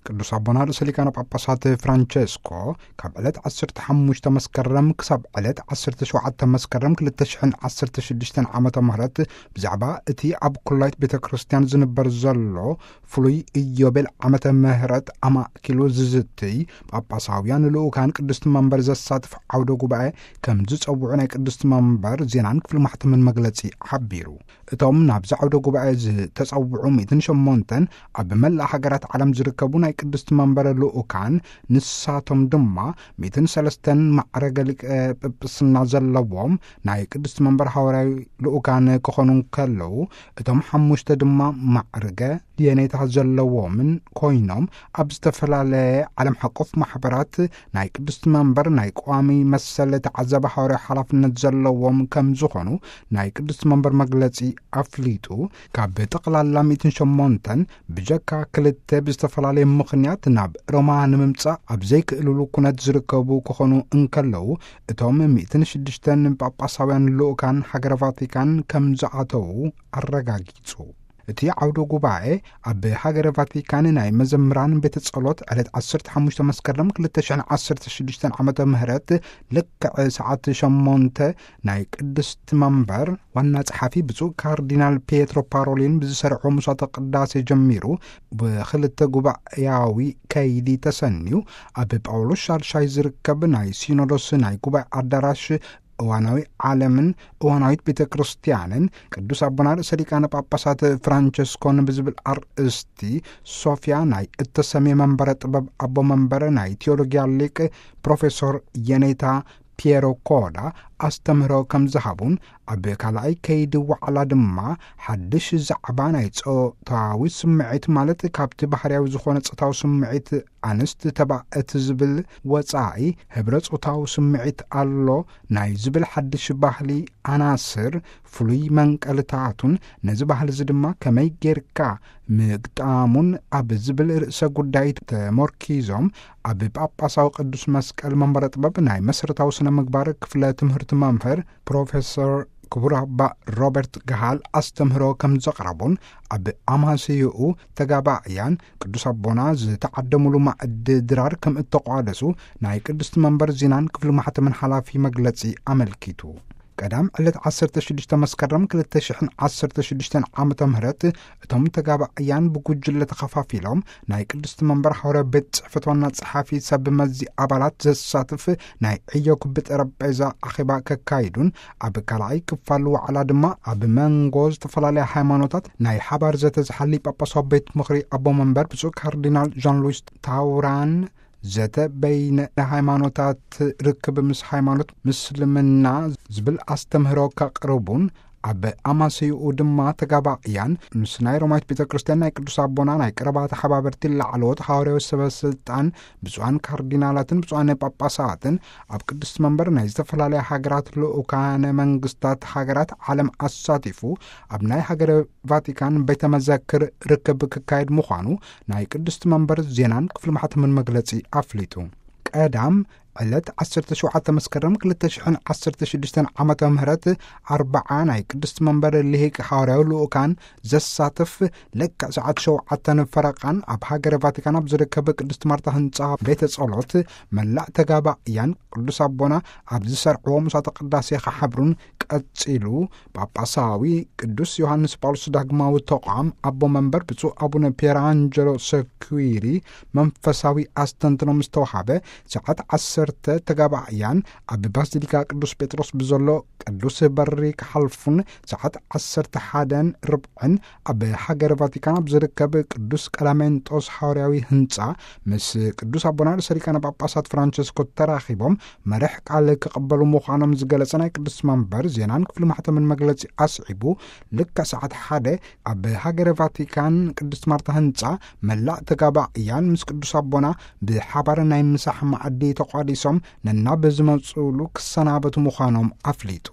ቅዱስ ኣቦና ርእሰ ሊቃነ ጳጳሳት ፍራንቸስኮ ካብ ዕለት ዓሰርተ ሓሙሽተ መስከረም ክሳብ ዕለት ዓሰርተ ሸውዓተ መስከረም ክልተ ሽሕን ዓሰርተ ሽዱሽተን ዓመተ ምህረት ብዛዕባ እቲ ኣብ ኩላይት ቤተ ክርስቲያን ዝንበር ዘሎ ፍሉይ ኢዮቤል ዓመተ ምህረት ኣማእኪሉ ዝዝትይ ጳጳሳውያን ልኡካን ቅድስቲ መንበር ዘሳትፍ ዓውደ ጉባኤ ከም ዝጸውዑ ናይ ቅድስቲ መንበር ዜናን ክፍሊ ማሕተምን መግለጺ ሓቢሩ። እቶም ናብዚ ዓውደ ጉባኤ ዝተጸውዑ ሚእትን ሸሞንተን ኣብ መላእ ሃገራት ዓለም ዝርከቡ ናይ ቅድስቲ መንበር ልኡካን፣ ንሳቶም ድማ ሚእትን ሰለስተን ማዕረገ ሊቀ ጵጵስና ዘለዎም ናይ ቅድስቲ መንበር ሃዋርያዊ ልኡካን ክኾኑ እንከለዉ፣ እቶም ሓሙሽተ ድማ ማዕርገ የኔታ ዘለዎምን ኮይኖም፣ ኣብ ዝተፈላለየ ዓለም ሓቆፍ ማሕበራት ናይ ቅድስቲ መንበር ናይ ቀዋሚ መሰል ተዓዛቢ ሃዋርያዊ ሓላፍነት ዘለዎም ከም ዝኾኑ ናይ ቅድስቲ መንበር መግለጺ ኣፍሊጡ። ካብ ጠቕላላ ሚእትን ሸሞንተን ብጀካ ክልተ ብዝተፈላለየ ምኽንያት ናብ ሮማ ንምምጻእ ኣብ ዘይክእልሉ ኩነት ዝርከቡ ክኾኑ እንከለዉ፣ እቶም ሚእትን ሽዱሽተን ጳጳሳውያን ልኡካን ሃገረ ቫቲካን ከም ዝኣተዉ ኣረጋጊጹ። እቲ ዓውደ ጉባኤ ኣብ ሃገረ ቫቲካን ናይ መዘምራን ቤተ ጸሎት ዕለት ዓሰርተ ሓሙሽተ መስከረም ክልተ ሽሕን ዓሰርተ ሽዱሽተን ዓመተ ምህረት ልክዕ ሰዓት ሸሞንተ ናይ ቅድስቲ መንበር ዋና ጸሓፊ ብፁዕ ካርዲናል ፒየትሮ ፓሮሊን ብዝሰርዖ ምሷተ ቅዳሴ ጀሚሩ ብክልተ ጉባኤያዊ ከይዲ ተሰንዩ ኣብ ጳውሎስ ሻድሻይ ዝርከብ ናይ ሲኖዶስ ናይ ጉባኤ ኣዳራሽ እዋናዊ ዓለምን እዋናዊት ቤተ ክርስቲያንን ቅዱስ ኣቦና ርእሰ ሊቃነ ጳጳሳት ፍራንቸስኮን ብዝብል ኣርእስቲ ሶፊያ ናይ እተሰምየ መንበረ ጥበብ ኣቦ መንበረ ናይ ቴዎሎጊያ ሊቅ ፕሮፌሶር የኔታ ፒየሮ ኮዳ ኣስተምህሮ ከም ዝሃቡን፣ ኣብ ካልኣይ ከይዲ ዋዕላ ድማ ሓድሽ ዛዕባ ናይ ጾታዊ ስምዒት፣ ማለት ካብቲ ባህርያዊ ዝኾነ ጾታዊ ስምዒት ኣንስቲ ተባእት ዝብል ወጻኢ ህብረ ጾታዊ ስምዒት ኣሎ ናይ ዝብል ሓድሽ ባህሊ ኣናስር ፍሉይ መንቀልታቱን ነዚ ባህሊ እዚ ድማ ከመይ ጌርካ ምግጣሙን ኣብ ዝብል ርእሰ ጉዳይ ተሞርኪዞም ኣብ ጳጳሳዊ ቅዱስ መስቀል መንበረ ጥበብ ናይ መሰረታዊ ስነ ምግባር ክፍለ ትምህርቲ መምህር ፕሮፌሰር ክቡር ኣባ ሮበርት ገሃል ኣስተምህሮ ከም ዘቕረቡን ኣብ ኣማስይኡ ተጋባእያን ቅዱስ ኣቦና ዝተዓደሙሉ ማዕዲ ድራር ከም እተቋደሱ ናይ ቅድስቲ መንበር ዜናን ክፍሊ ማሕተምን ሓላፊ መግለጺ ኣመልኪቱ። ቀዳም ዕለት ዓሰርተ ሽዱሽተ መስከረም ክልተ ሽሕን ዓሰርተ ሽዱሽተን ዓመተ ምህረት እቶም ተጋባእያን ብጉጅለ ተኸፋፊሎም ናይ ቅድስቲ መንበር ሓዋርያዊ ቤት ጽሕፈት ዋና ጸሓፊ ሰብ መዚ ኣባላት ዘሳትፍ ናይ ዕዮ ክቢ ጠረጴዛ ኣኼባ ከካይዱን ኣብ ካልኣይ ክፋል ዋዕላ ድማ ኣብ መንጎ ዝተፈላለያ ሃይማኖታት ናይ ሓባር ዘተ ዝሓሊ ጳጳሳዊ ቤት ምኽሪ ኣቦ መንበር ብፁዕ ካርዲናል ዣን ሉዊስ ታውራን ዘተ በይነ ሃይማኖታት ርክብ ምስ ሃይማኖት ምስልምና ዝብል ኣስተምህሮ ከቕርቡን ኣብ ኣማስይኡ ድማ ተጋባእያን ምስ ናይ ሮማዊት ቤተ ክርስቲያን ናይ ቅዱስ ኣቦና ናይ ቀረባ ተሓባበርቲ ላዕለዎት ሃዋርያዊ ሰበ ስልጣን ብፁዓን ካርዲናላትን ብፁዓን ጳጳሳትን ኣብ ቅድስቲ መንበር ናይ ዝተፈላለያ ሃገራት ልኡካነ መንግስታት ሃገራት ዓለም ኣሳቲፉ ኣብ ናይ ሃገረ ቫቲካን ቤተ መዘክር ርክብ ክካየድ ምዃኑ ናይ ቅድስቲ መንበር ዜናን ክፍሊ ማሕተምን መግለጺ ኣፍሊጡ። ቀዳም ዕለት ዓሰርተ ሸውዓተ መስከረም ክልተ ሽሕን ዓሰርተ ሽዱሽተን ዓመተ ምህረት ኣርብዓ ናይ ቅድስቲ መንበር ልሂቅ ሃዋርያዊ ልኡካን ዘሳትፍ ልክዕ ሰዓት ሸውዓተን ፈረቓን ኣብ ሃገረ ቫቲካን ኣብ ዝርከብ ቅድስቲ ማርታ ህንጻ ቤተ ጸሎት መላእ ተጋባእያን ቅዱስ ኣቦና ኣብ ዝሰርዕዎ ምሳተ ቅዳሴ ክሓብሩን ቀጺሉ ጳጳሳዊ ቅዱስ ዮሃንስ ጳውሎስ ዳግማዊ ተቋም ኣቦ መንበር ብፁዕ ኣቡነ ፒየር ኣንጀሎ ሰኩዊሪ መንፈሳዊ ኣስተንትኖ ምስ ተዋሃበ ሰዓት ዓሰርተ ተጋባእያን ኣብ ባሲሊካ ቅዱስ ጴጥሮስ ብዘሎ ቅዱስ በሪ ክሓልፉን ሰዓት ዓሰርተ ሓደን ርብዕን ኣብ ሃገረ ቫቲካን ኣብ ዝርከብ ቅዱስ ቀላሜንጦስ ሃዋርያዊ ህንጻ ምስ ቅዱስ ኣቦና ርእሰ ሊቃነ ጳጳሳት ፍራንቸስኮ ተራኺቦም መርሕ ቃል ክቕበሉ ምዃኖም ዝገለጸ ናይ ቅዱስ መንበር ዜናን ክፍሊ ማሕተምን መግለጺ ኣስዒቡ፣ ልክዕ ሰዓት ሓደ ኣብ ሃገረ ቫቲካን ቅድስት ማርታ ህንጻ መላእ ተጋባእያን ምስ ቅዱስ ኣቦና ብሓባር ናይ ምሳሕ መኣዲ ተቋዲሶም ነናብ ዝመጽሉ ክሰናበቱ ምዃኖም ኣፍሊጡ።